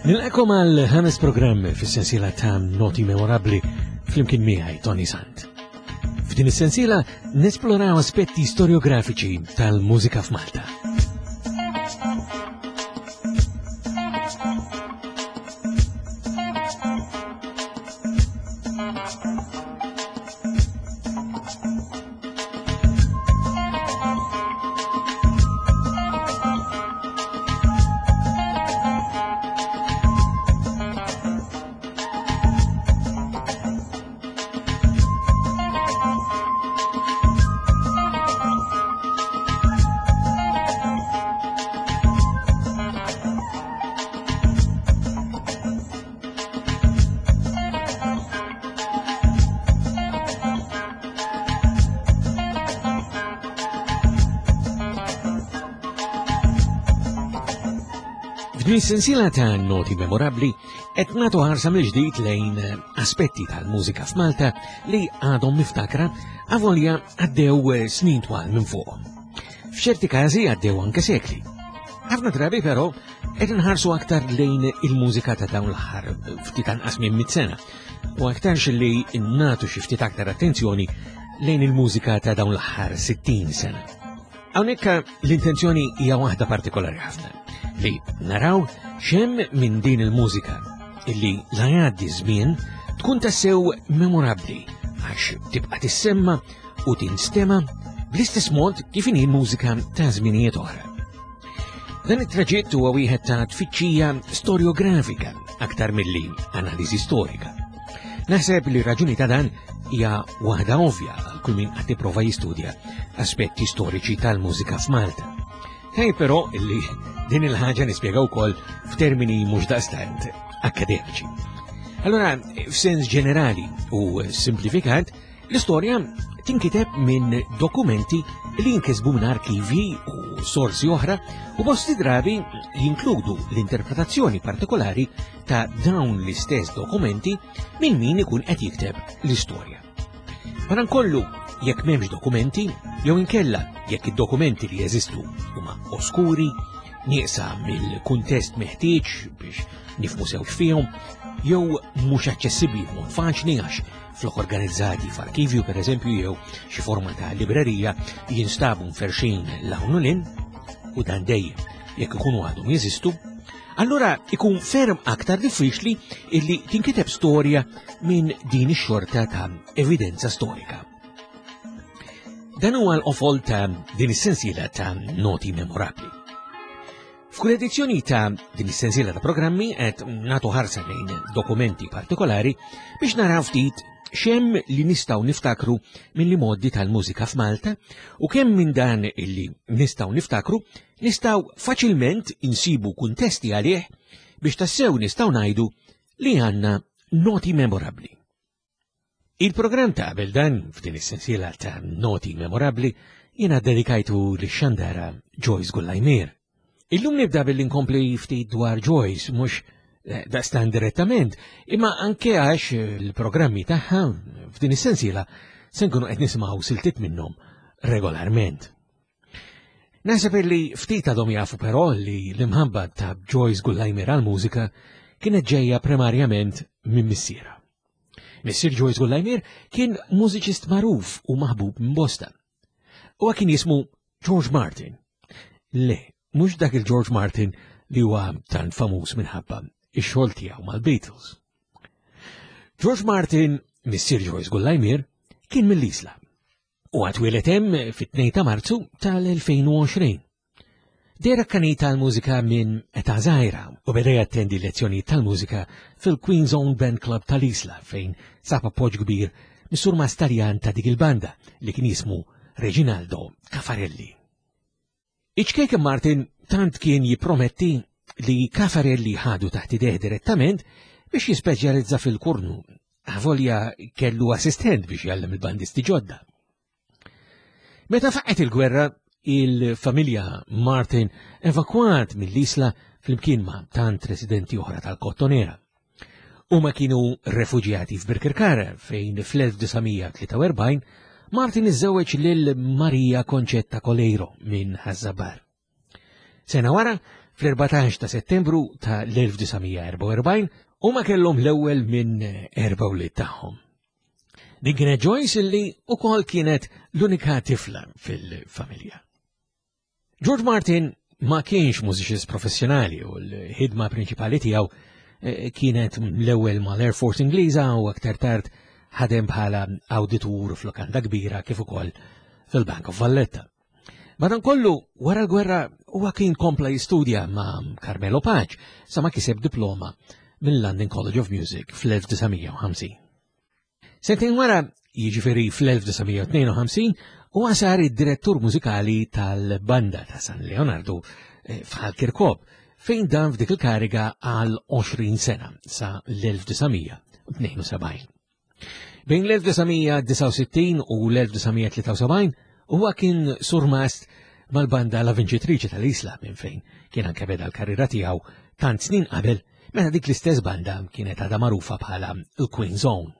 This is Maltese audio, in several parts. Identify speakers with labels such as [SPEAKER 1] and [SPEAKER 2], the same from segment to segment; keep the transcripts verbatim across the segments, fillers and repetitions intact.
[SPEAKER 1] Nilqakom għal ħames programm fis-sensiela ta' Noti Memorabbli flimkien miegħi Toni Sant. F'din is-sensiela nesploraw aspetti storiografiċi tal-mużika f'Malta. F'din is-sensiela ta' noti memorabbli qed nagħtu ħarsa mill-ġdid lejn aspetti tal-mużika f'Malta li għadhom miftakra avolja għaddew snin twal minn fuqhom. F'ċerti każi għaddew anke sekli. Ħafna drabi però qed inħarsu aktar lejn il-mużika ta' dawn l-aħħar ftit anqas minn mit sena u aktarx li nagħtu xi ftit aktar attenzjoni lejn il-mużika ta' dawn l-aħħar sittin sena. Hawnhekk l-intenzjoni hija waħda partikolari ħafna, li naraw x'hemm minn din il-mużika illi la jgħaddi żmien tkun tassew memorabbli għax tibqa' tissemma u tinstema bl-istess mod kif inhi l-mużika ta' żminijiet oħra. Dan it-traġitt huwa wieħed ta' tfittxija storiografika aktar milli analiżi storika. Naħseb li raġuni ta' dan hija waħda ovvja għal kull min qed jipprova jistudja aspetti storiċi tal-mużika f'Malta. Hej però illi din il-ħaġa nispjega wkoll f'termini mhux daqstant akademiċi. Allora, f'sens ġenerali u simplifikat, l-istorja tinkiteb minn dokumenti li jinkisbu minn arkivi u sorsi oħra u bosti drabi jinkludu l-interpretazzjoni partikolari ta' dawn l-istess dokumenti minn min ikun qed jikteb l-istorja. Madankollu, jekk m'hemmx dokumenti, jew inkella jekk id-dokumenti li jeżistu huma oskuri, nieqsa mill-kuntest meħtieġ biex nifhmu sew x'fihom, jew mhux aċċessibbli b'mod faċli għax flok organizzati f'arkivju pereżempju jew xi forma ta' librerija jinstabu mferxin l-hawn u lin, u dan dejjem jekk ikunu għadhom jeżistu, allura ikun ferm aktar diffiċli illi tinkiteb storja minn din ix-xorta ta' evidenza storika. Dan huwa l-qofol ta' din is-sensiela ta' noti memorabbli. F'kull edizzjoni ta' din is-sensiela ta' programmi qed nagħtu ħarsa lejn dokumenti partikolari biex naraw ftit x'hemm li nistgħu niftakru mill-modi tal-mużika f'Malta u kemm minn dan illi nistgħu niftakru nistgħu faċilment insibu kuntesti għalih biex tassew nistgħu ngħidu li għandna noti memorabbli. Il-programm ta' qabel dan f'din is-sensiela ta' noti memorabbli jiena dedikajtu lix-xandara Joyce Gullajmier. Illum nibda billi nkompli ftit dwar Joyce, mhux daqstan direttament, imma anke għax il-programmi tagħha f'din is-sensiela se nkunu qed nisimgħu siltiet minnhom regolarment. Naħseb li ftit għadhom jafu però li l-imħabba ta' Joyce Gullajmier għall-mużika kienet ġejja primarjament minn missierha. Missier Joyce Gullajmier kien mużiċist magħruf u maħbub minn bosta. Huwa kien jismu George Martin. Le, mhux dak il-George Martin li huwa tant famuż minħabba ix-xogħol tiegħu mal-Beatles. George Martin, missier Joyce Gullajmier, kien mill-Isla. U għatwieled hemm fit-tnejn ta' Marzu tal-elfejn u għoxrin. Dera kanita tal-mużika minn età żgħira u beda jattendi lezzjonijiet tal-mużika fil-Queen's Own Band Club tal-Isla fejn sab appoġġ kbir mis-sur Mastarjan ta' dik il-banda li kien jismu Reginaldo Caffarelli. Iċ-ċkejken Martin tant kien jipprometti li Caffarelli ħadu taħt idejh direttament biex jispeċjalizza fil-kurnu, avolja kellu assistent biex jgħallem il-bandisti ġodda. Meta faqgħet il-gwerra, il-familja Martin evakwat mill-Isla flimkien ma' tant residenti oħra tal-Kottonera. Huma kienu refuġjati f'Birkirkara fejn fl-elf disa' mija tlieta u erbgħin Martin iżżewweġ lil Maria Concetta Coleiro minn Ħaż-Żabbar. Sena wara, fl-erbatax ta' Settembru ta' l-elf disa' mija erbgħa u erbgħin u ma kellhom l-ewwel minn erba' wlied tagħhom. Din kienet Joyce illi wkoll kienet l-unika tifla fil-familja. George Martin ma kienx mużiċist professjonali u l-ħidma prinċipali tiegħu, eh, kienet l-ewwel mal-Air Force Ingliża u aktar tard ħadem bħala awditur f'lokanda kbira kif ukoll fil-Bank of Valletta. Madankollu, wara l-gwerra huwa kien kompla jistudja ma' Carmelo Pace sa ma kiseb diploma mill-London College of Music fl-elf disa' mija u ħamsin. Sentejn wara, jiġifieri fl-elf disa' mija u tnejn u ħamsin, huwa sar id-direttur mużikali tal-banda ta' San Leonardo, eh, f'Ħal Kirkop, fejn dan f'dik il-kariga għal għoxrin sena sa l-elf disa' mija u tnejn u sebgħin. Bejn l-elf disa' mija disgħa u sittin u l-elf disa' mija tlieta u sebgħin huwa kien surmast mal-banda La Vincitrice tal-Isla minn fejn kien anke beda l-karriera tiegħu tant snin qabel meta dik l-istess banda kienet għadha magħrufa bħala l-Queen's Own.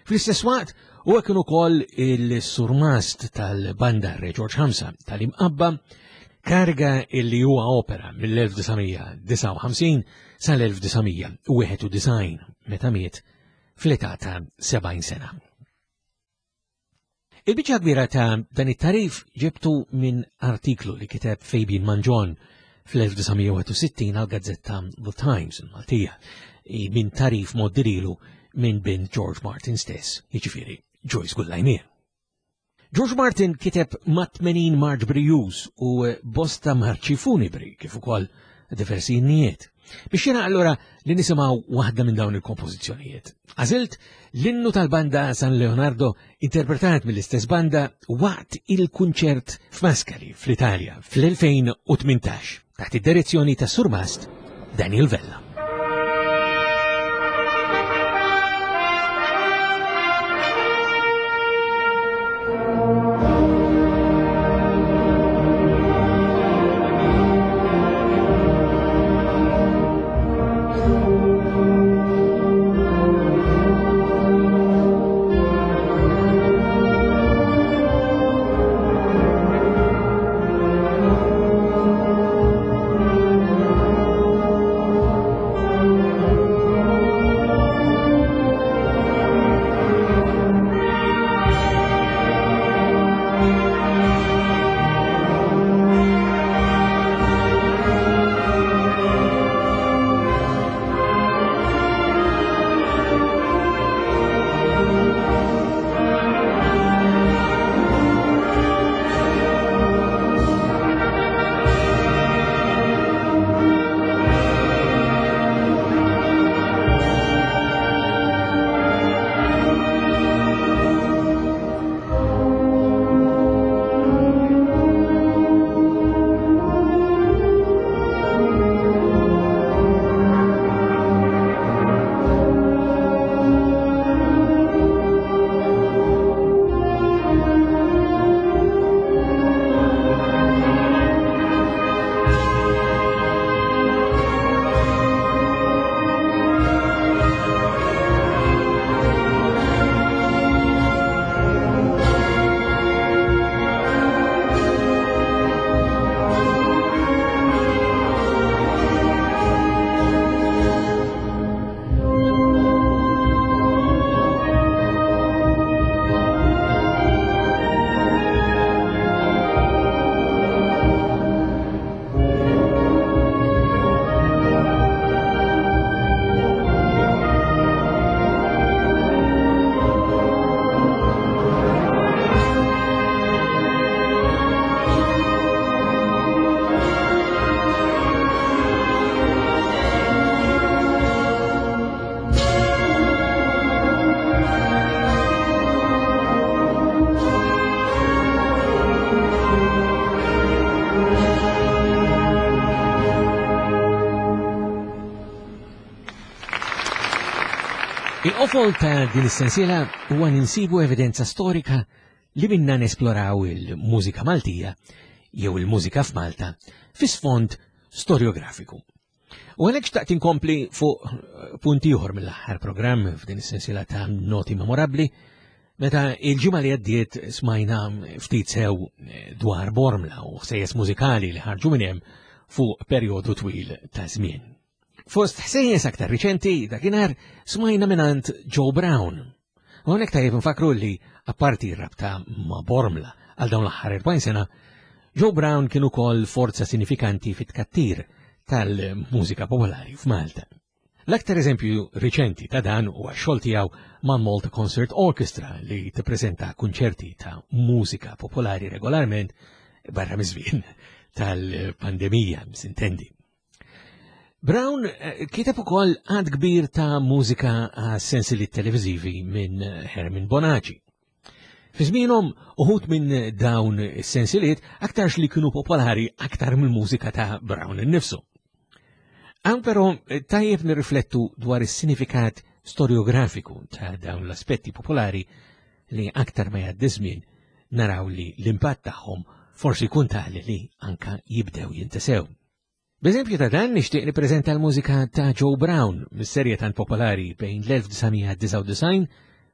[SPEAKER 1] Fl-istess waqt huwa kien ukoll il-surmast tal-banda Re George Ħamsa tal-Imqabba, kariga illi huwa opera mill-elf disa' mija disgħa u ħamsin sal-elf disa' mija u wieħed u disgħin meta miet fl-età ta' sebgħin sena. Il-biċċa kbira ta' dan it-tarif ġibtu minn artiklu li kiteb Fabian Mangion fl-elf disa' mija u wieħed u sittin għal gazzetta The Times il-Maltija, minn tarif moddirilu minn bin George Martin stess, jiġifieri Joyce Gullaimier. George Martin kiteb ma' tmenin marċ brijuż u bosta marċi funibri kif ukoll diversi innijiet. Biex jiena allura li nisimgħu waħda minn dawn il-kompożizzjonijiet. Għażilt l-innu tal-banda San Leonardo interpretat mill-istess banda waqt il-kunċert f'Mascali fl-Italja fl-elfejn u tmintax taħt id-direzzjoni ta' Surmast Daniel Vella. Il-qofol ta' din is-sensiela huwa ninsibu evidenza storika li minna nesploraw il-mużika Maltija jew il-mużika f'Malta fi sfond storiografiku. U għalhekk xtaqt inkompli fuq punt ieħor mill-aħħar programm f'din is-sensiela ta' noti memorabbli, meta il-ġimgħa li għaddiet smajna ftit sew dwar Bormla u ħsejjes mużikali li ħarġu minn hemm fuq perjodu twil ta' żmien. Fost ħsejjes aktar riċenti dakinhar smajna mingħand Joe Brown. Hawnhekk tajjeb nfakru li apparti rabta ma' Bormla għal dawn l-aħħar erbgħin sena, Joe Brown kien ukoll forza sinifikanti fit-tkattir tal-mużika popolari f'Malta. L-aktar eżempju riċenti ta' dan huwa x-xogħol tiegħu ma' Malta Concert Orchestra li tippreżenta kunċerti ta' mużika popolari regolarment barra miż-żmien tal-pandemija, sintendi. Brown eh, kiteb ukoll għadd kbir ta' mużika għas sensiliet televiżivi minn Herman Bonaci. Fi żmienhom uħud minn dawn is-sensiliet aktarx li kienu popolari aktar mill-mużika ta' Brown innifsu. Hawn però eh, tajjeb nirriflettu dwar is-sinifikat storiografiku ta' dawn l-aspetti popolari li aktar ma jgħaddi żmien naraw li l-impatt tagħhom forsi jkun tali li anka jibdew jintesew. B'eżempju ta' dan nixtieq nippreżenta l-mużika ta' Joe Brown mis-serje tant popolari bejn l-elf disa' mija disgħa u disgħin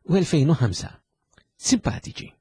[SPEAKER 1] u elfejn u ħamsa. Simpatiċi.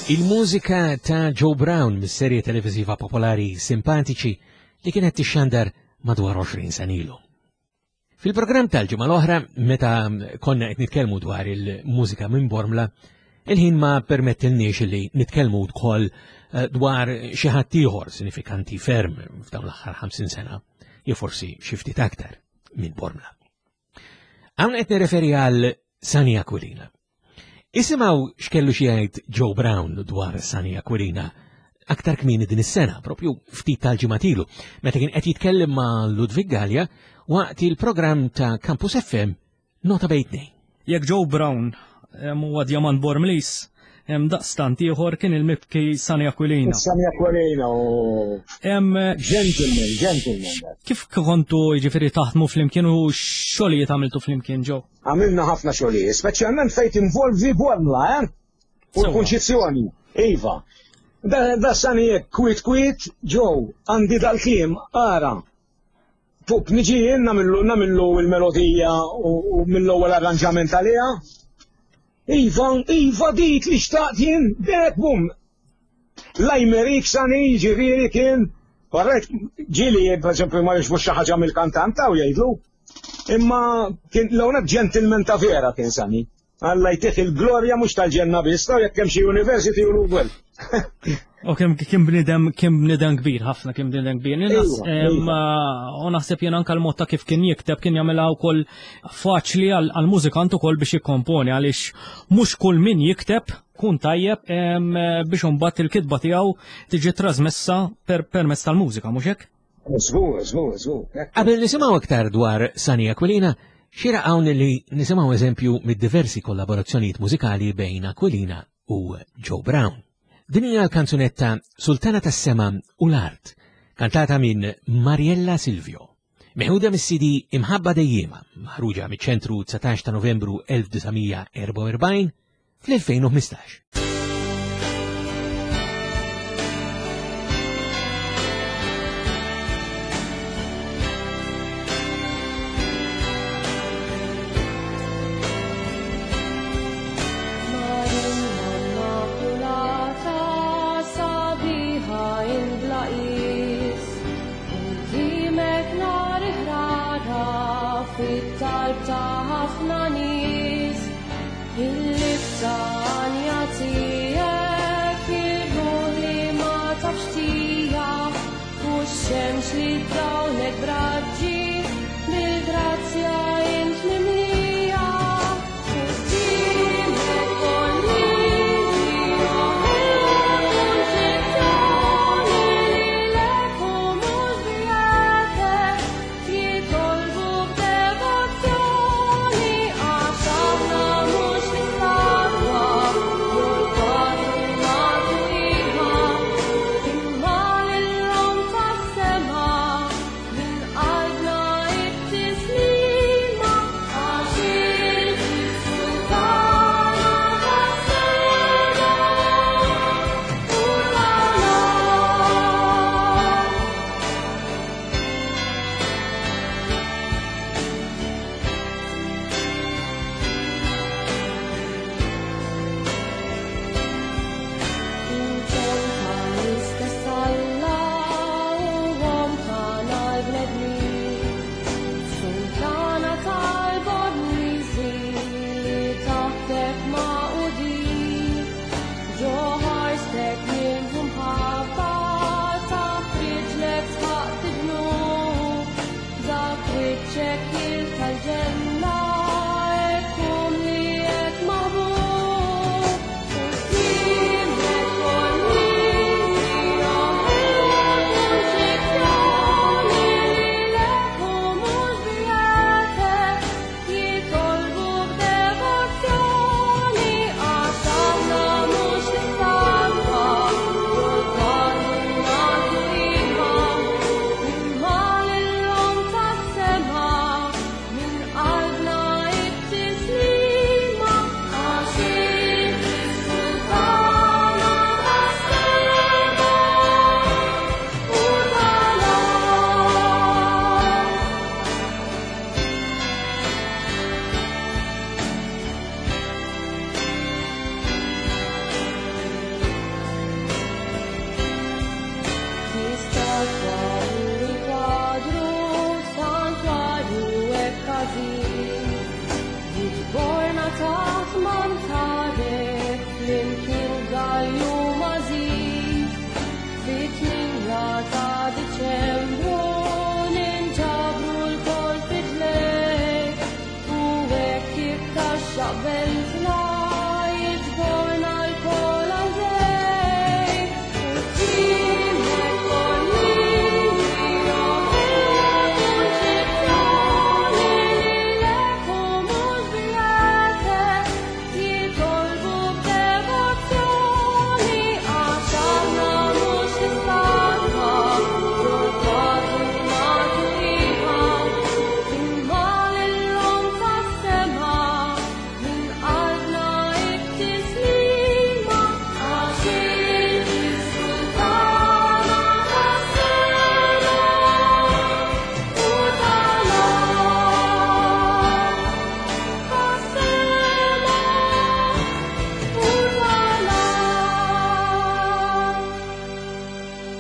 [SPEAKER 1] Il-mużika ta' Joe Brown mis-serje televiżiva popolari Simpatiċi li kienet tixxandar madwar għoxrin sena ilu. Fil-programm tal-ġimgħa l-oħra, meta konna qed nitkellmu dwar il-mużika minn Bormla, il-ħin ma permettilniex li nitkellmu wkoll eh, dwar xi ħadd ieħor sinifikanti ferm f'dawn l-aħħar ħamsin sena, jew forsi xi ftit aktar minn Bormla. Hawn qed nirreferi għal Sunny Aquilina. Isimgħu x'kellu xi jgħid Joe Brown dwar Sunny Aquilina aktar kmieni din is-sena, propju ftit tal-ġimgħat ilu, meta kien qed jitkellem ma' Ludwig Gallia waqt il-programm ta' Campus F M Nota Bejn Tnejn.
[SPEAKER 2] Jekk Joe Brown huwa djamant Bormliż, hemm daqstant ieħor kien il-mibki Sunny Aquilina.
[SPEAKER 3] Sunny Aquilina u gentleman, gentleman.
[SPEAKER 2] Kif kontu jiġifieri taħdmu flimkien u xogħlijiet għamiltu flimkien, Joe?
[SPEAKER 3] Għamilna ħafna xogħlijiet, speċjalment fejn involvi Bormla, eh? U l-Kunċizzjoni, iva. Da, da Sunny kwiet kwiet, Joe, għandi dal-kliem, ara. Fuq niġi jien namillu namillu il-melodija u, u mill-ewwel arranġament għaliha. Iva, iva dik li xtaqt jien, dek bum. Lajmerik Sunny, ġifieri kien, korrekt, ġieli, per eżempju, ma jogħġbux xi ħaġa mill-kantanta u jgħidlu. Imma kien l-ewwel gentleman ta' vera kien Sunny. Alla jtih il-glorja mhux tal-ġenna biss, ta' jekk hemm xi university u l
[SPEAKER 2] U kemm kien bniedem kien bniedem kbir ħafna, kien bniedem kbir. U naħseb jien anke l-mod ta' kif kien jikteb kien jagħmilha wkoll faċli għall-mużikant ukoll biex jikkomponi, għaliex mhux kull min jikteb kun tajjeb biex imbagħad il-kitba tiegħu tiġi trasmessa permezz tal-mużika, mhux hekk?
[SPEAKER 3] Żgur, żgur, żgur.
[SPEAKER 1] Qabel nisimgħu aktar dwar Sunny Aquilina, xieraq hawn li nisimgħu eżempju mid-diversi kollaborazzjonijiet mużikali bejn Aquilina u Joe Brown. Din hija l-kanzunetta Sultana tas-Sema u l-Art, kantata minn Mariella Silvio. Meħuda mis-C D Imħabba Dejjema, maħruġa miċ-ċentru dsatax ta' Novembru elf disa' mija erbgħa u erbgħin fl-elfejn u ħmistax.
[SPEAKER 4] Marija Immakulata, sabiħa bla qis, qudiemek nar ħrara fit-talb ta' ħafna nies. Il-litanja tiegħek ir-ruħ li ma tafx tija, u x-xemx li dawlek b'raġġi, bil-grazzja int mimlija. Qudiemek Bormliżi, Kunċizzjoni, lilek u mhux biegħek jitolbu b'devozzjoni, għax aħna mhux l-istatwa jew l-kwadru nagħtu qima, imma lill-Omm tas-sema minn qalbna.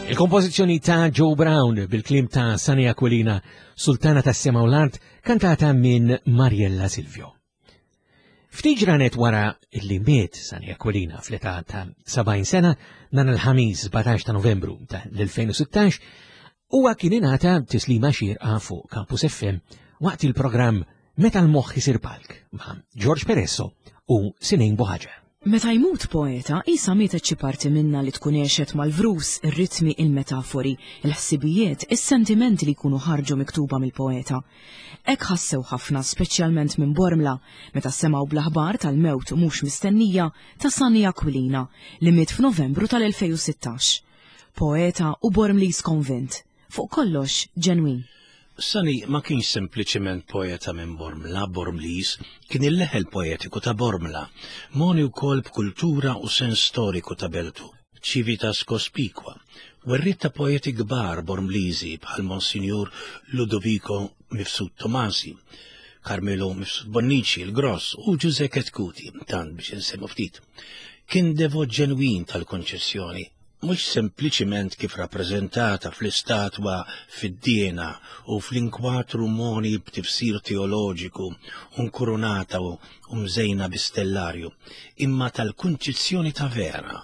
[SPEAKER 1] Il-kompożizzjoni ta' Joe Brown bil-kliem ta' Sunny Aquilina, Sultana tas-Sema u l-Art, kantata minn Mariella Silvio. Ftit ġranet wara li miet Sunny Aquilina fl-età ta' sebgħin sena, nhar il-Ħamis sbatax ta' Novembru ta' l-elfejn u sittax, huwa kien ingħata tislima xierqa fuq Campus F M waqt il-programm Meta l-moħħ isir palk ma' George Peresso u Sinejn Buhaġar.
[SPEAKER 5] Meta jmut poeta, isa mietet xi parti minna li tkun għexet mal-vrus, ir-ritmi, il-metafori, il-ħsibijiet, is-sentimenti li jkunu ħarġu miktuba mill-poeta. Hekk ħassew ħafna, speċjalment minn Bormla, meta semgħu bl-aħbar tal-mewt mhux mistennija ta' Sunny Aquilina li miet f'Novembru tal-elfejn u sittax. Poeta u Bormliż konvint, fuq kollox ġenwin.
[SPEAKER 6] Sunny ma kienx sempliċement poeta minn Bormla, Bormliż, kien il-leħel poetiku ta' Bormla, moni wkoll b'kultura u sens storiku ta' beltu, civitas cospicua, werriet ta' poeti kbar Bormliżi bħal Monsignor Ludovico Mifsud Tomasi, Carmelo Mifsud Bonnici, il-Gross u Giuseppe Chetcuti, tant biex insemmu ftit. Kien devot ġenwin tal-konċessjoni, mhux sempliċiment kif rappreżentata fl-istatwa fid-diena u fl-inkwatru moni b'tifsir teoloġiku u nkurunata u mżejna bi-stellarju, imma tal-kunċizzjoni ta' vera,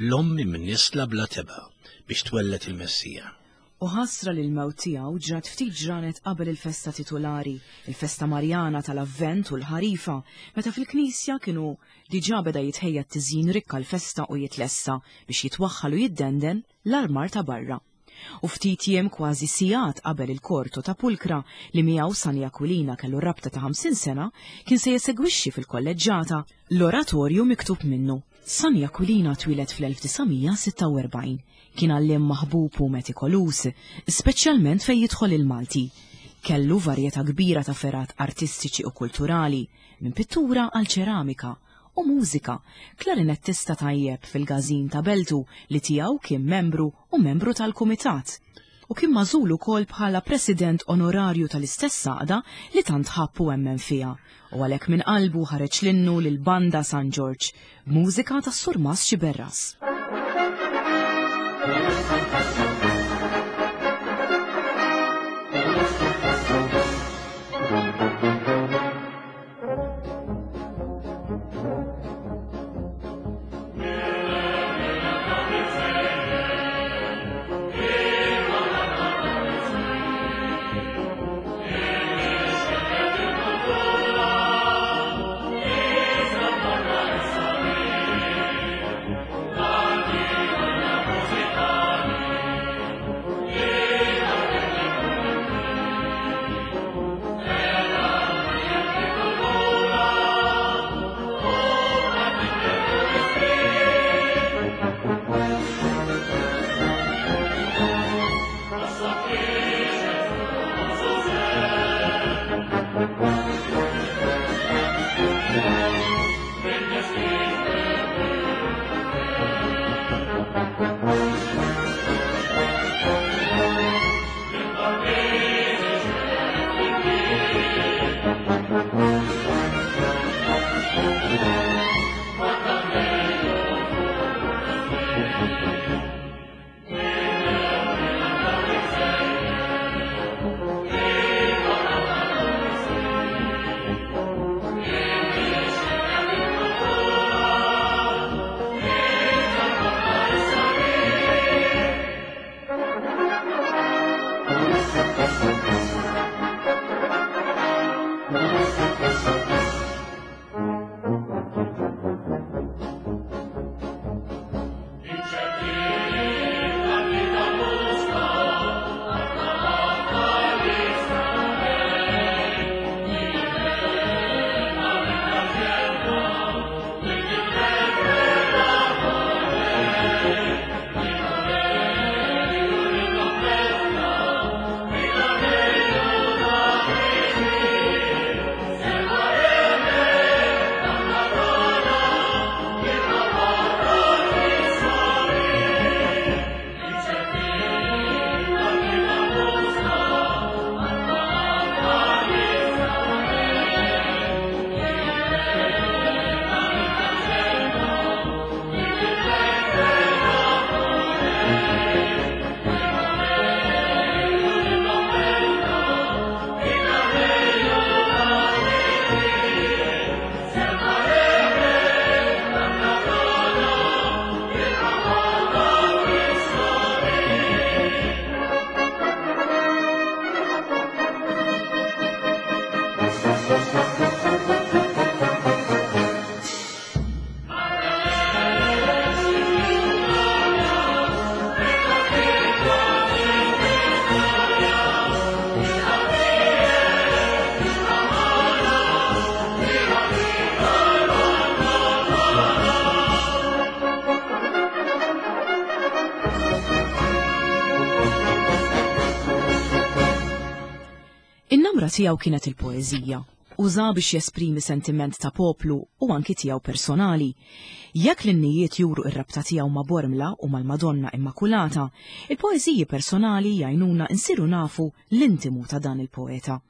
[SPEAKER 6] l-ommi mnisla bla teba biex twellet il-Messija.
[SPEAKER 5] U ħasra li l-mewt tiegħu ġrat ftit ġranet qabel il-festa titulari, il-festa Marjana tal-Avvent u l-Ħarifa, meta fil-Knisja kienu diġà beda jitħejja t-tiżjin rikka l-festa u jitlessa biex jitwaħħal u jiddenden l-armar ta' barra. U ftit jiem kważi sigħat qabel il-korto ta' Pulkra li miegħu Sunny Aquilina kellu rabta ta' ħamsin sena kien se jesegwixxi fil-kolleġġata l-oratorju miktub minnu. Sunny Aquilina twieled fl-elf disa' mija sitta u erbgħin. Kien għalliem maħbub u metikolus, speċjalment fejn jidħol il-Malti. Kellu varjetà kbira ta' ferat artistiċi u kulturali, minn pittura għal ċeramika u mużika, klarinettista tajjeb fil-gazin ta' Beltu li tiegħu kien membru u membru tal-kumitat. U kien magħżul ukoll bħala president onorarju tal-istess għaqda li tant ħabb u emmen fiha. U għalhekk minn qalbu ħareġ l-innu lil Banda San Ġorġ, b'mużika tas-Surmas Xiberras.
[SPEAKER 4] Thank you.
[SPEAKER 5] Il-kamra tiegħu kienet il-poeżija. Uża biex jesprimi sentiment ta' poplu u anki tiegħu personali. Jekk l-innijiet juru ir-rabta tiegħu ma' Bormla u mal-Madonna Immakulata, il-poeżiji personali jgħinuna nsiru nafu l-intimu ta' dan il-poeta.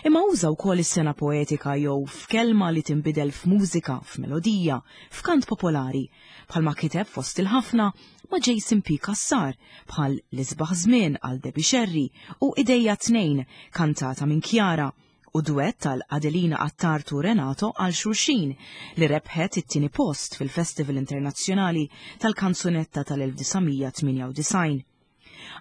[SPEAKER 5] Imma uża wkoll is-sena poetika jew f'kelma li tinbidel f'mużika, f'melodija, f'kant popolari, bħalma kiteb fost il-ħafna ma' Jason P. Cassar bħal L-Isbaħ Żmien għal Debbie Scerri u Idejja Tnejn kantata minn Chiara u duett tal Adelina Attard u Renato għal Xulxin li rebħet it-tieni post fil-Festival Internazzjonali tal-Kanzunetta tal-elf disa' mija tmienja u disgħin.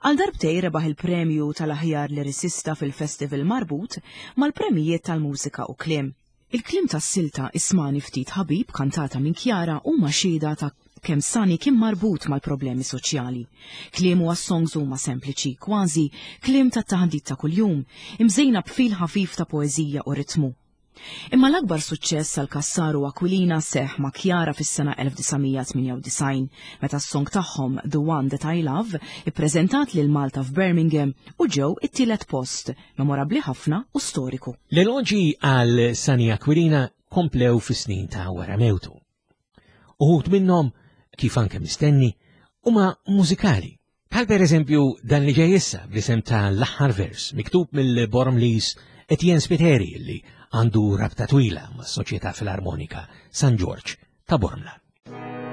[SPEAKER 5] Għal darbtej rebaħ il-premju tal-aħjar liricista fil-festival marbut mal-premijiet tal-mużika u kliem. Il-kliem tas-silta Ismani Ftit Ħabib kantata minn Chiara huma xhieda ta' kemm Sunny kien marbut mal-problemi soċjali. Kliemu għas-songs huma sempliċi, kważi kliem ta' taħdit ta' kuljum, imżejna b'fil ħafif ta' poeżija u ritmu. Imma l-akbar suċċess għal Cassar u Aquilina seħ ma' Chiara fis-sena elf disa' mija tmienja u disgħin, meta s-song tagħhom The One That I Love ippreżentat lil Malta f'Birmingham u ġew it-tielet post, memorabbli ħafna u storiku.
[SPEAKER 1] L-eloġi għal Sunny Aquilina komplew fis-snin ta' wara mewtu. Uħud minnhom, kif anke mistenni, huma mużikali. Bħal per eżempju dan li ġej issa bl-isem ta' l-aħħar vers miktub mill-Bormlis Etienne Spiteri li għandu rabta twila mas-Soċjetà Filarmonika San Ġorġ ta' Bormla.
[SPEAKER 4] Thank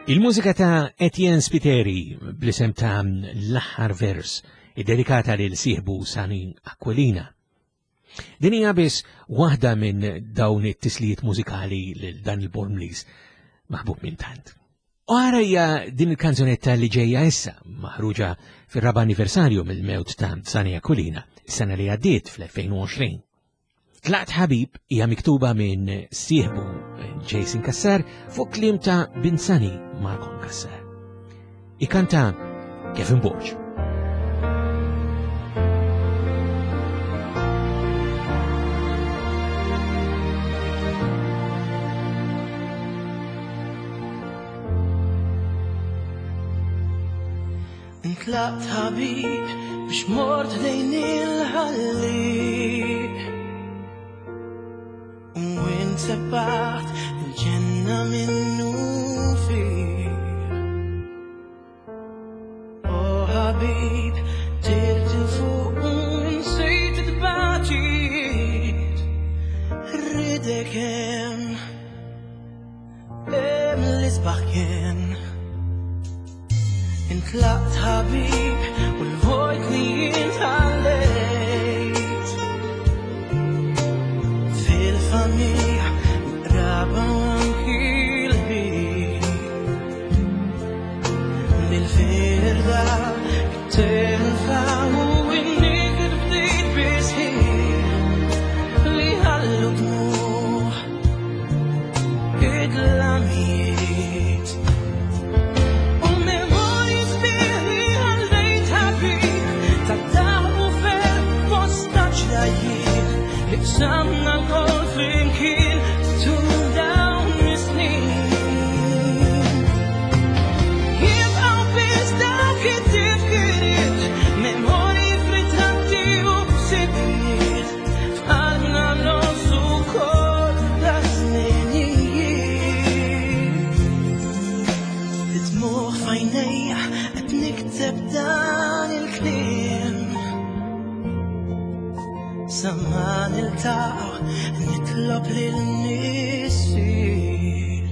[SPEAKER 1] Il-mużika ta' Etienne Spiteri bl-isem ta' L-aħħar vers, iddedikata lil sieħbu Sani Aquilina. Din hija biss waħda minn dawn it-tislijiet mużikali lil dan il-Bormliż maħbub minn tant. U ara hija din il-kanzunetta li ġejja issa, maħruġa fir-raba' anniversarju mill-mewt ta' Sani Aquilina, is-sena li għaddiet fl-elfejn u għoxrin. Tlaqt Ħabib hija miktuba minn sieħbu Jason Cassar fuq kliem ta' bin Sani Marcon Cassar. Ikanta Kevin Borg.
[SPEAKER 7] Intlaqt ħabib biex mort lejn il-ħalliq. U insebaħt il-ġenna minnu fih. O ħabib, tirt il-fuq u nsejt it-tbaċit. Rridek hemm, hemm l-isbaħ kien. Intlaqt ħabib u l-vojt li intħallejt. Fil-familja, raba anki l-ħin. Nil-firda, it-telfa u n-niked bdejt bisħiħ li ħallu dmuħ id-lamijiet. U memorji sbieħ li ħallejt ħabib ta' daħ u ferħ bosta ġrajiet li qsamna lkoll flimkien tul dawn is-snin. Jibqgħu biss dawk it-tifkiriet, memorji f'ritratti u ħsibijiet, f'qalbna ngħożżu wkoll daż-żminijiet. Id-dmugħ f'għajnejja qed nikteb dan il-kliem. Sa ma niltaqgħu nitlob lil Missier.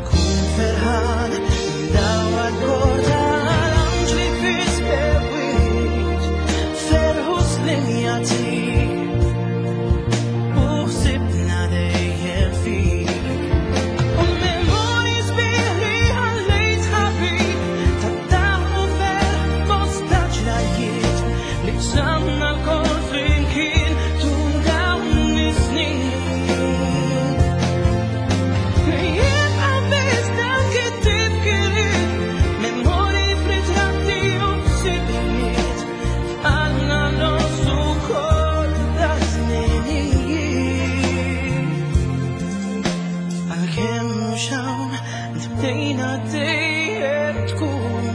[SPEAKER 7] Tkun ferħan dawar kor tal-anġli fis-sewwieq, ferħu slim jagħtik u ħsibna dejjem fik. U memorji sbieħ li ħallejt ħabib ta' daħ u ferħ bosta ġrajiet li qsamna lkoll flimkien tul dawn is-snin. Jibqa' biss dawk it-tifkiriet, memorji f'ritratti u ħsibijiet, f'qalbna ngħożżu wkoll daż-żminijiet. Għalkemm mhux hawn, int bdejna dejjem tkun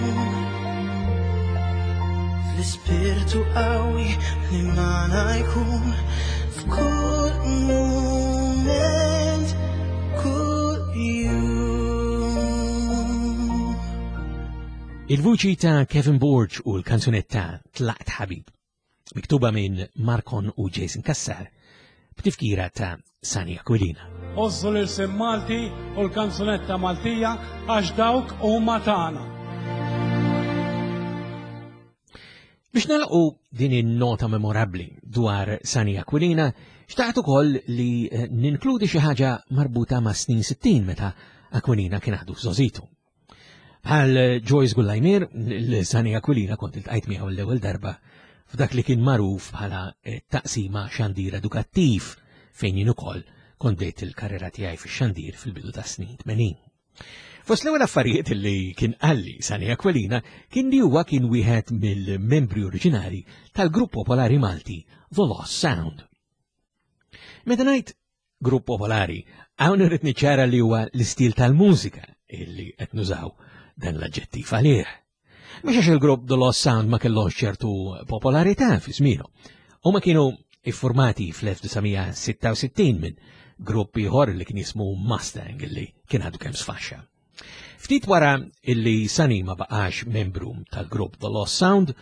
[SPEAKER 7] fl-ispirtu qawwi li magħna jkun f'kull mument, kull jum.
[SPEAKER 1] Il-vuċi ta' Kevin Borg u l-kanzunetta Tlaqt Ħabib, miktuba minn Marcon u Jason Cassar, b'tifkira ta' Sani Aquilina.
[SPEAKER 8] Għożżu l-ilsien Malti u l-kanzunetta Maltija għax dawk huma tagħna.
[SPEAKER 1] Biex nagħlqu din in-nota memorabbli dwar Sani Aquilina, xtaqt ukoll li, eh, ninkludi xi ħaġa marbuta ma' snin sittin meta Aquilina kien għadu f'żożitu. Bħal Joyce Gullajmir, l-Sani Aquilina kont iltqajt miegħu l-ewwel darba f'dak li kien magħruf bħala, eh, taqsima xandir edukattiv fejn jien ukoll kont bdejt il-karriera tiegħi fix-xandir fil-bidu ta' snin tmenin. Fost l-ewwel affarijiet li kien qalli Sani Aquilina kien li huwa kien wieħed mill-membri oriġinali tal-grupp popolari Malti The Lost Sound. Meta ngħid grupp popolari, hawn irrid niċċara li huwa l-istil tal-mużika illi qed nużaw dan l-aġġettiv għalih. Mhux għax il-grupp The Lost Sound ma kellhomx ċertu popolarità fi żmienu. Huma kienu iffurmati fl-elf disa' mija sitta u sittin minn grupp ieħor li kien jismu Mustang illi kien għadu kemm sfaxxa. Ftit wara illi Sani ma baqax membru tal-grupp The Lost Sound,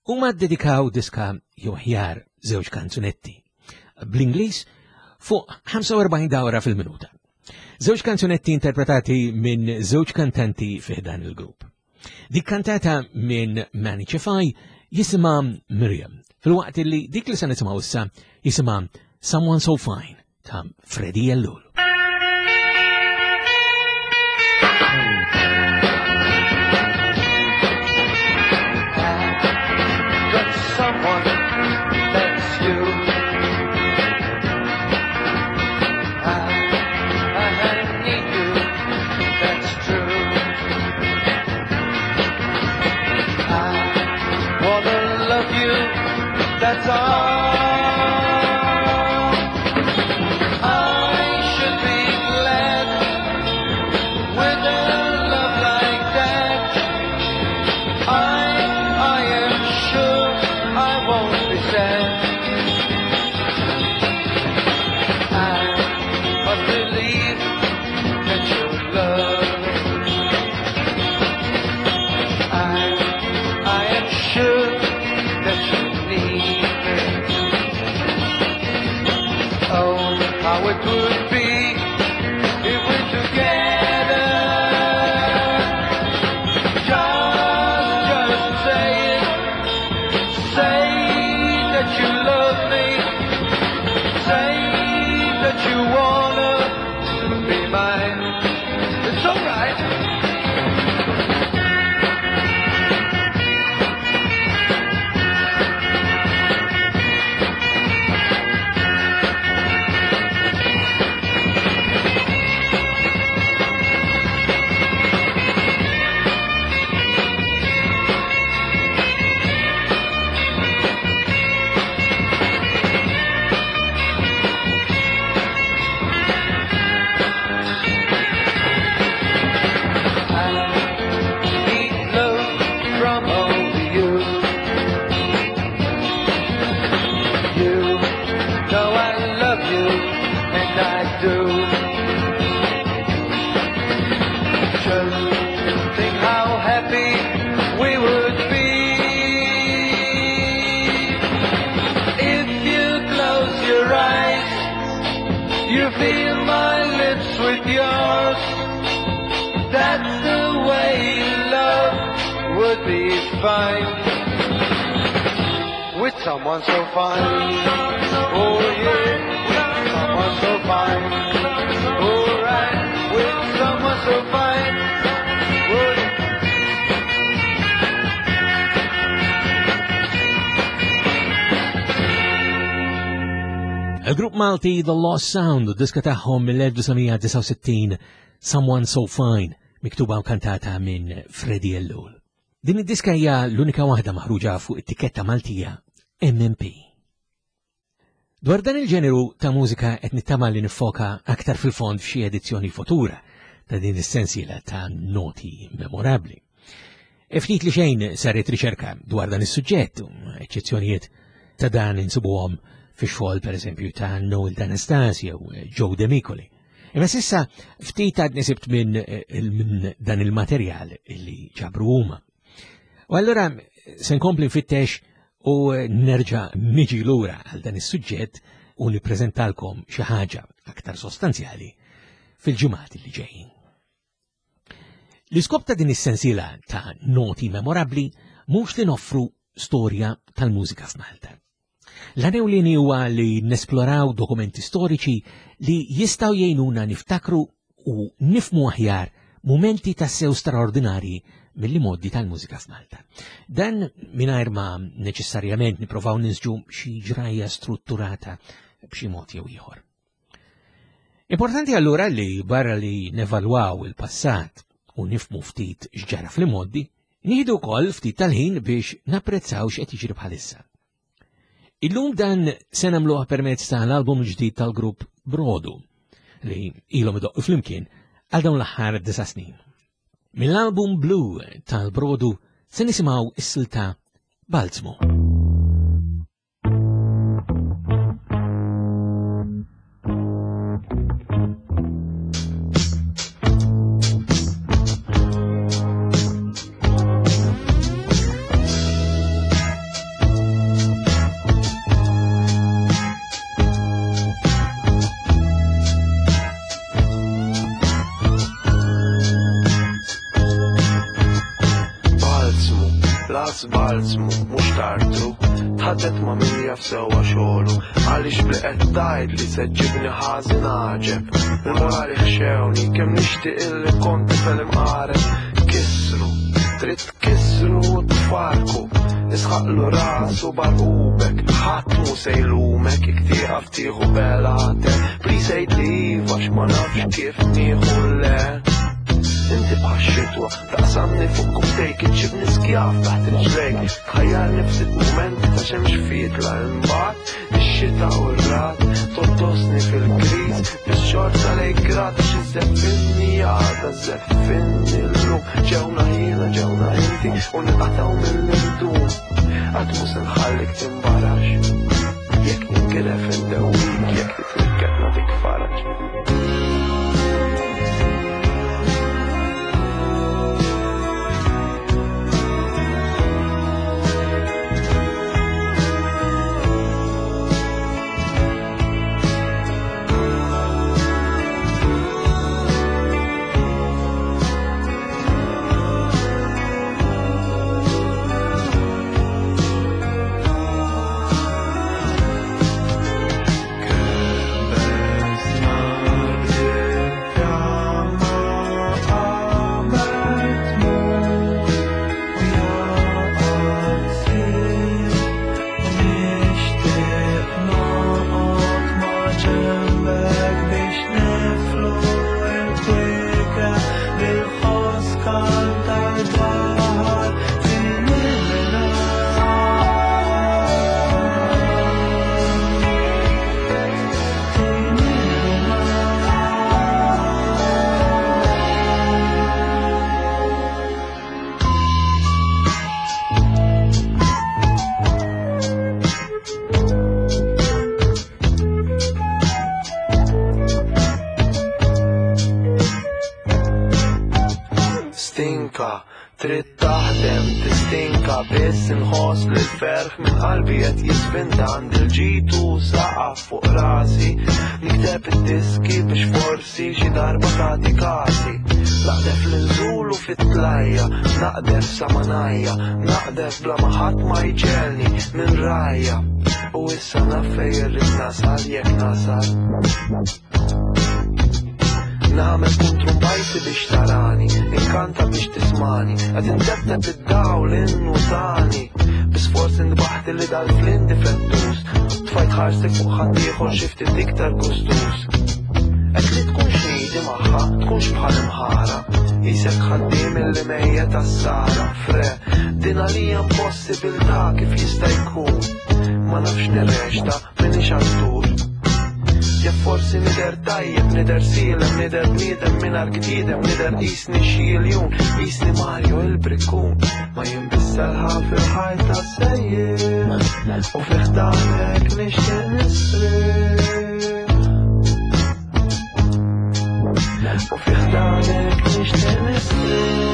[SPEAKER 1] huma ddedikaw diska jew aħjar żewġ kanzunetti bl-Ingliż fuq ħamsa u erbgħin dawra fil-minuta. Żewġ kanzunetti interpretati minn żewġ kantanti fi dan il-grupp. Dik kantata minn Manny Cefai jisimha Miriam, filwaqt li dik li se nisimgħu issa jisimha Someone So Fine ta' Freddie Ellul.
[SPEAKER 7] Got someone that's you. I, I need you, that's true. I wanna love you, that's all. I should be glad with a love like that. I, I am sure I won't be sad. I must believe that you love me. I, I am sure that you need me. Oh, how it would be if we're together. Just, just say it. Say that you love me. Say that you wanna be mine. It's alright. I need love from only you. You know I love you, and I do. Just think how happy we would be if you close your eyes. You feel my lips with yours. That's the way love would be fine with someone so fine. Oh yeah, with someone so fine. All right, with someone so fine. Would
[SPEAKER 1] Il-grupp Malti The Lost Sound u diska tagħhom mill-elf disa' disgħa u sittin Someone So Fine, miktuba u kantata minn Freddie Ellul. Din id-diska hija l-unika waħda maħruġa fuq it-tikketta Maltija M M P. Dwar dan il-ġeneru ta' mużika qed nittama li nifoka aktar fil-fond f'xi edizzjoni futura ta' din is-sensiela ta' noti memorabbli. E ftit li xejn saret riċerka dwar dan is-suġġett, eċċezzjonijiet ta' dan insibuhom fix-xogħol pereżempju ta' Noel D'Anastasio u Joe Demicoli. Imma sissa ftit għadni sibt minn, minn dan il-materjal li ġabru huma. U allura se nkompli nfittex u nerġa' niġi lura għal dan is-suġġett u nippreżentalkom xi ħaġa aktar sostanzjali fil-ġimgħat li ġejjin. L-iskop ta' din is-sensiela ta' noti memorabbli mhux li noffru storja tal-mużika f'Malta. L-għan huwa li nesploraw dokumenti storiċi li jistgħu jgħinuna niftakru u nifmu aħjar mumenti tassew straordinarji mill-modi tal-mużika f'Malta. Dan mingħajr ma neċessarjament nipprovaw nisġu xi ġrajja strutturata b'xi mod jew ieħor. Importanti allura li barra li nevalwaw il-passat u nifmu ftit x'ġara fl-modi, nieħdu wkoll ftit tal-ħin biex napprezzaw x'qed jiġri bħalissa. Illum dan se nagħmluha permezz tal-album ġdid tal-grupp Brodu li ilhom idoqqu flimkien għal dawn l-aħħar disa' snin. Mill-album Blue tal-Brodu se nisimgħu is-silta Balzmu.
[SPEAKER 9] Inħoss balzmu, mhux tartru. Tħaddet ma' min jaf sewwa xogħlu, għaliex bli qed tgħid li se ġġibni ħażin għaġeb. Il-morali ħxewni, kemm nixtieq illi kont tifel imqareb. Kissru, trid tkissru u tfarku, isħaqlu rasu barqubek, ħadd mhu se jlumek jekk tieqaf tieħu belate. Please għidli iva għax ma nafx kif nieħu le. Inti bħax-xitwa, taqsamni fuq kubtejk, iġġibni skjaf taħt riġlejk, tħajjarni f'sitt mumenti ta' xemx fietla, imbagħad ix-xita u r-rad, tottosni fil-griż, biex xorta lejk grat, għax iżżeffinni għada, żeffinni llum, ġewna jiena, ġewna inti, u nqatgħu mill-irdum, qatt mhu se nħallik timbarax, jekk ninkilef indewwik, jekk titnikket nagħtik faraġ. Stinka, trid taħdem, tistinka, biss inħoss li l-ferħ minn qalbi qed jisfinta, għandi l-ġitu saqaf fuq rasi, nikteb id-diski biex forsi xi darba tagħti kasi. Naqdef l-inżulu fit-tlajja, naqdef sa manajja, naqdef bla ma ħadd ma jġelni minn rajja. U issa naf fejn irrid nasal jekk nasal. Nagħmel kontrumbajti biex tarani, inkanta biex tismani, qed intebteb id-dawl innutani. Bisforz indbaħt li dal-flin difettus, tfajt ħarsek fuq ħaddieħor xi ftit iktar gustus. Qed li tkunx nidi magħha, tkunx bħal imħara, isek ħaddiem illi mejjet għas-sara. Fre, din għalija impossibilità kif jista' jkun. Ma nafx nirrexta, minix attur. Ja forsi nider tajjeb, nider sielem, nider bniedem mingħajr gdidem, nider qisni xi iljun, qisni Mario il-brikkun. Ma jinbisselħa fil-ħajta sejjer, u fi ħdanek nixtieq nistrieħ. U fi ħdanek nixtieq nistrieħ.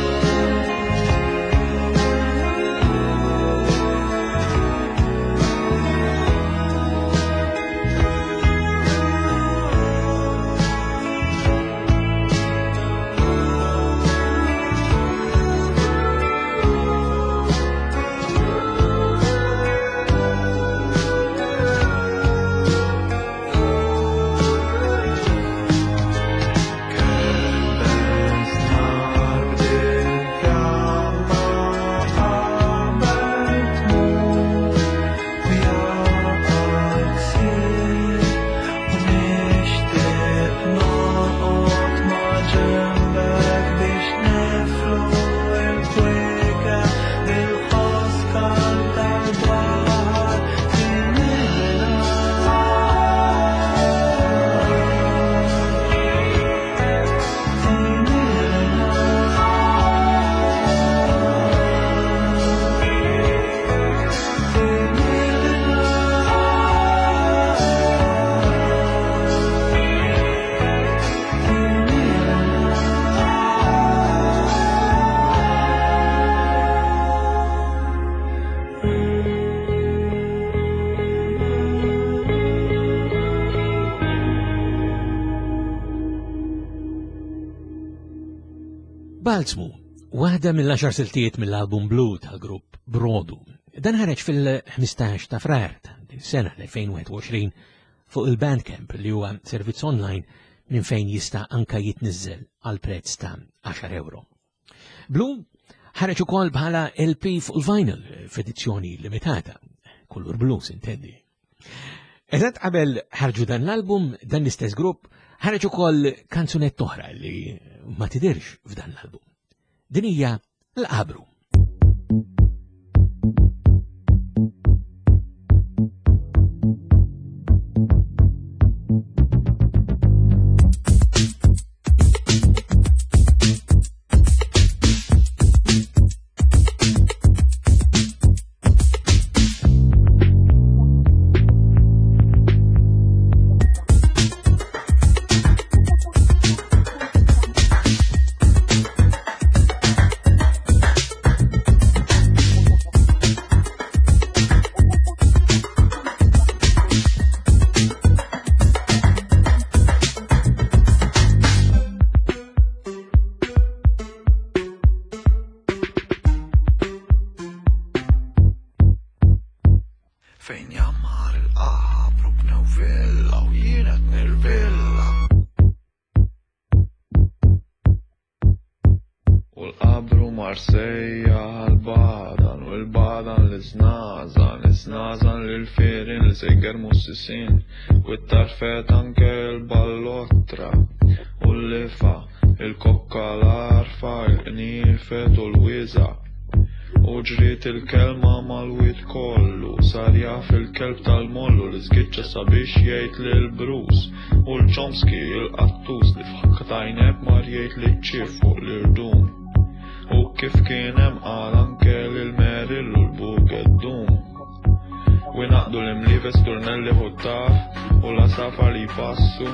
[SPEAKER 1] Balzmu, Waħda mill-għaxar siltiet mill-album Blue tal-grupp Brodu. Dan ħareġ fil-ħmistax ta' Frar ta' din sena l-elfejn wieħed u għoxrin fuq il-Bandcamp li huwa servizz online minn fejn jista' anka jitniżżel għal prezz ta' għaxar euro. Blue ħareġ ukoll bħala L P fuq il-vinyl f'edizzjoni limitata, kulur blu sintendi. Eżatt qabel ħarġu dan l-album, dan l-istess grupp ħareġ ukoll kanzunett oħra li ma tidirx f'dan l-album. Din hija l-Qabru.
[SPEAKER 9] Fejn jammar il-qabru bnew villa u jien qed nirvilla. U l-qabru Marsejja għal-badan u l-badan l-iżnażan, l-iżnażan lil-firin li se jgermu s-sisin, u t-tarfet anke l-ballottra u l-lifa, il-kokka l-arfa, il-qniefet u l-wiża. U ġriet il-kelma mal-wied kollu, sar jaf il-kelb tal-mollu li żgiċċa sabiex jgħid lil Bruce, u l-Chomsky il-qattus li f'ħakka tajneb mar jgħid li ċ-ċif fuq l-irdum. U kif kien hemm qal anke lil Merrill u l-Bugeddum. U jnaqdu l-imlives turnelli ħuttaf u l-għasafar li jpassu,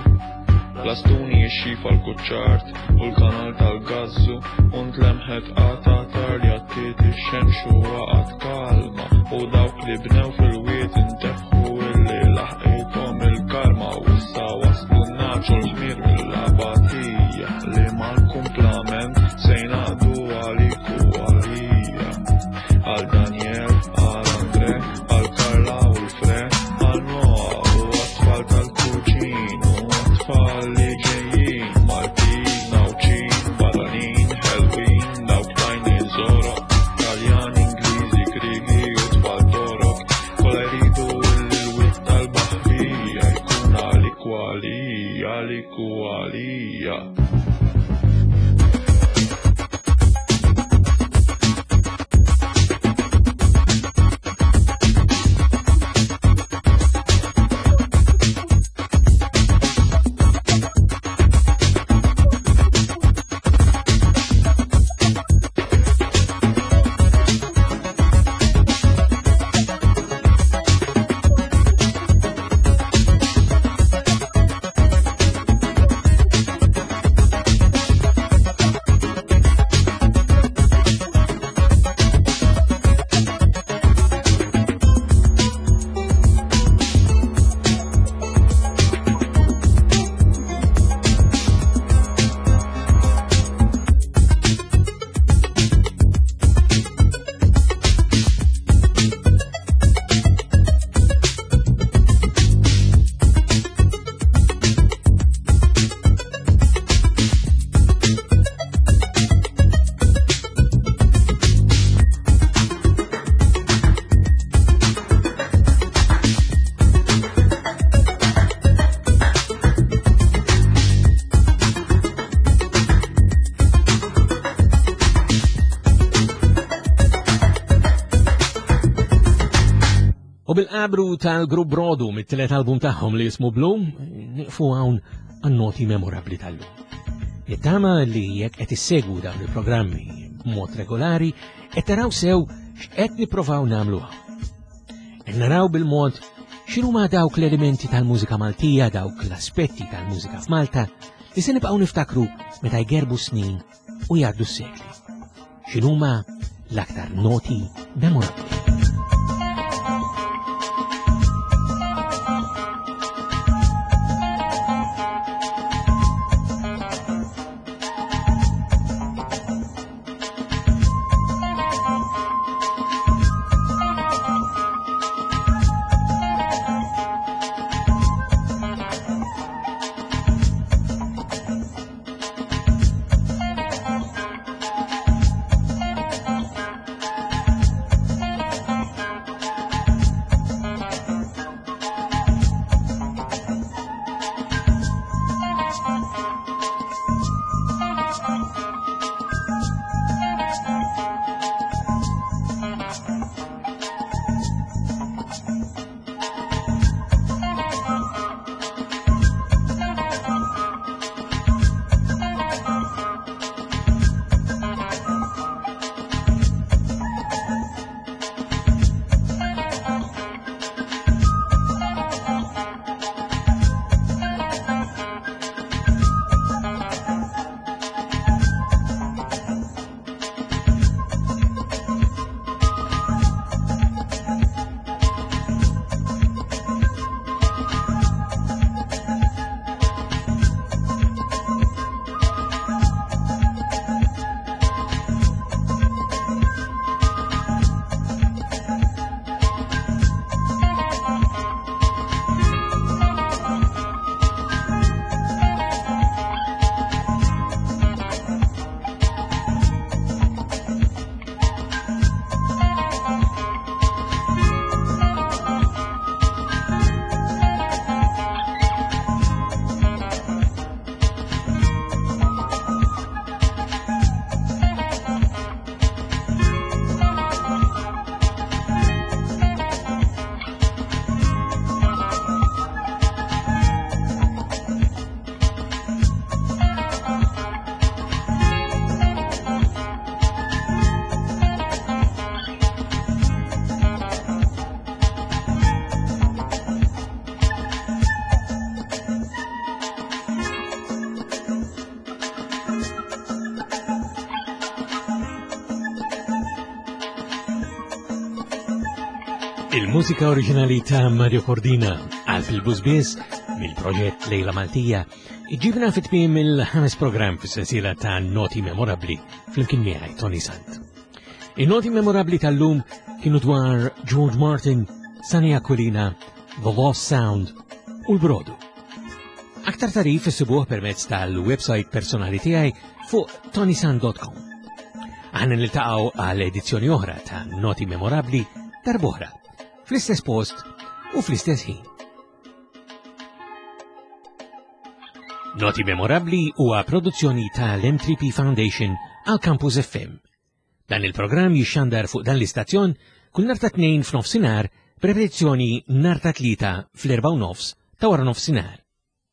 [SPEAKER 9] l-astuni jixxifa l-kuċċart u l-kanal tal-gazzu, u ntlemħet qata tar jattiet ix-xemx u waqgħet kalma, u dawk li bnew fil-wied intebħu illi laħqithom il-karma, u issa waslu n-naċ u l-ħmir mill-abatija li mal-kumplament se jnaqdu għalik u għalija. Għal Daniel, għal Andre, għal Karla u l-Fre, għal Noah u għat-tfal tal-kuġin u għat-tfal li ġejjin, Maltin, Nawċin, barranin, ħelwin, dawk tajni żoroq, Taljan, Ingliżi, Grigi u tfal Torok, kollha jridu l-wied tal-baħrija jkun għalik u għalija, għalik u għalija.
[SPEAKER 1] U bil-qabru tal-grupp Brodu mit-tielet album tagħhom li jismu Blue, nieqfu hawn għan-noti memorabbli tal-lum. Nittama li jekk qed issegwu dawn il-programmi b'mod regolari, qed taraw sew x'qed nippruvaw nagħmlu hawn. Qed naraw bil-mod x'inhuma dawk l-elementi tal-mużika Maltija, dawk l-aspetti tal-mużika f'Malta li se nibqgħu niftakru meta jgerbu snin u jgħaddu s-sekli. X'inhuma l-aktar noti memorabbli. Il-mużika oriġinali ta' Mario Cordina għal fil-Bużbiż mill-proġett Lejla Maltija iġibna fit-tmiem il-ħames programm fis-sensiela ta' Noti Memorabbli flimkien miegħi Toni Sant. In-noti memorabbli tal-lum kienu dwar George Martin, Sunny Aquilina, The Lost Sound u l-Brodu. Aktar tagħrif issibuh permezz tal-website personali tiegħi fuq tonisant dot com. Aħna niltaqgħu għal edizzjoni oħra ta' Noti Memorabbli darb'oħra, fl-istess post u fl-istess ħin. Noti Memorabbli huwa produzzjoni tal-M three P Foundation għal Campus F M. Dan il-programm jixxandar fuq dan l-istazzjon kull nhar ta' Tnejn f'nofsinhar b'repetizzjoni nhar ta' Tlieta fl-erba' u nofs ta' wara nofsinhar.